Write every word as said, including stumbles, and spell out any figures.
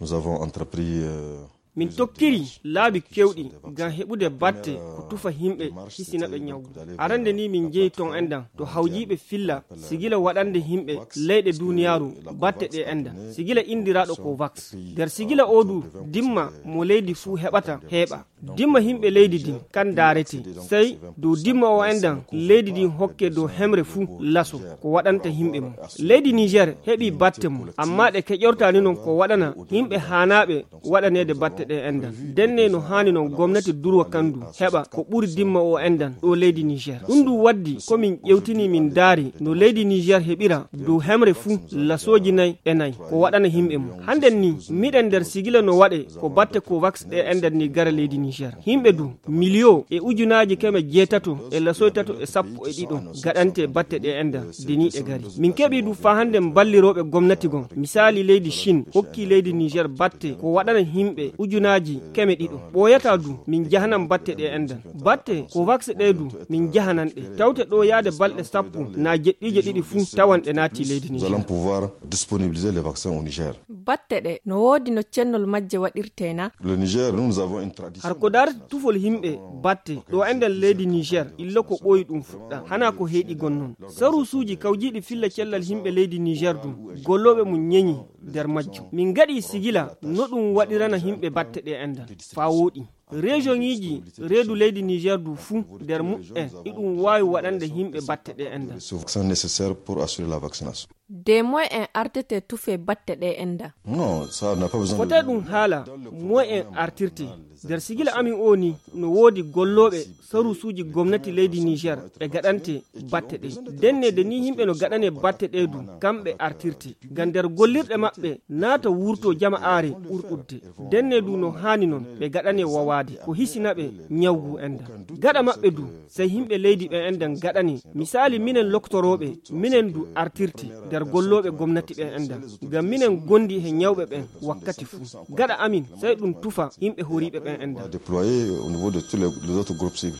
Nous avons entrepris, euh, min tokkiri laabi keewɗi ngam heɓude batte ko tufa yimɓe, hisina ɓe ñawgu. Arande ni min njehi ton enɗan to hawjiiɓe filla sigila waɗande yimɓe leyɗe duniyaaru batte ɗe enɗan, sigila indiraaɗo ko vax. Nder sigila o du, dimma mo leydi fuu heɓata heeɓa. Dimma yimɓe leydi din kan daarete. Sey dow dimma o enɗan leydi din hokke dow hemre fuu laso ko waɗanta yimɓe mum. Leydi Niger heɓi batte mum, amma ɗe keƴortaani non ko waɗana yimɓe haanaaɓe waɗaneede batte ɗe enɗan. Ndenne no haani non gomnati durwa kandu heɓa ko ɓuri dimma o enɗan ɗo leydi Niger. Ɗum ɗum waddi ko min ƴewtini min daari no leydi Niger heɓira dow hemre fuu lasooji nay e nay ko waɗana yimɓe mum. Hannden ni miɗen nder sigila no waɗe ko batte ko vax ɗe enɗan ni gara leydi Niger. Yimɓe du miliyo e ujunaaji keme jeetato e lasoy tato e sappo e ɗiɗo gaɗante batte ɗe enɗan deniiɗe gari. Min keɓi du faa hannden ballirooɓe gomnati gon. Misaali leydi Chine hokki leydi Niger batte ko waɗana yimɓe ujunaaji keme ɗiɗo. Ɓooyata du min jahanan batte ɗe enɗan. Batte ko vax ɗe du min jahanan ɗe. Tawte ɗo yaade balɗe sappo naa jeɗɗiije ɗiɗi fuu tawan ɗe naati leydi Niger. Nous allons pouvoir disponibiliser les vaccins au Niger. Batte ɗe no woodi no cennol majje waɗirtee na? Le Niger, nous, nous avons une tradition. Har ko daarata tufol yimɓe batte ɗo enɗan leydi Niger, illa ko ɓooyi ɗum fuɗɗa. Hana ko heeɗi gon non. Saruusuuji kawjiiɗi filla cellal yimɓe leydi Niger du, gollooɓe mum ñeñi nder majjum. Min ngaɗi sigila no ɗum waɗirana yimɓe batte ɗe enɗan. Faa wooɗi. Rejoŋiiji reedu leydi Niger du fuu nder muɓɓen iɗum waawi waɗande yimɓe batte ɗe enɗan. Ce vaccin nécessaire pour assurer la vaccination. De moy en artete tufe batte ɗe enɗan? Non, ça n'a pas besoin de. Fotee ɗum haala moy en artirte. Nder sigila amin o ni no woodi gollooɓe saruusuuji gomnati leydi Niger ɓe gaɗante batte ɗe. Ndenne de ni yimɓe no gaɗane batte ɗe du kamɓe artirte. Ngam nder gollirɗe maɓɓe naata wurto jama'aare ɓurɗudde. Ndenne du no haani non ɓe gaɗane wawaade ko hisina ɓe ñawgu enɗan. Gaɗa maɓɓe du sey yimɓe leydi ɓe enɗan gaɗane. Misaali minen loktorooɓe, minen du artirte nder gollooɓe gomnati ɓe enɗan. Ngam minen gondi he ñawɓe ɓen wakkati fuu. Gaɗa amin sey ɗum tufa yimɓe horiiɓe ɓen enɗan. Déployé au niveau de tous les, les autres groupes cibles.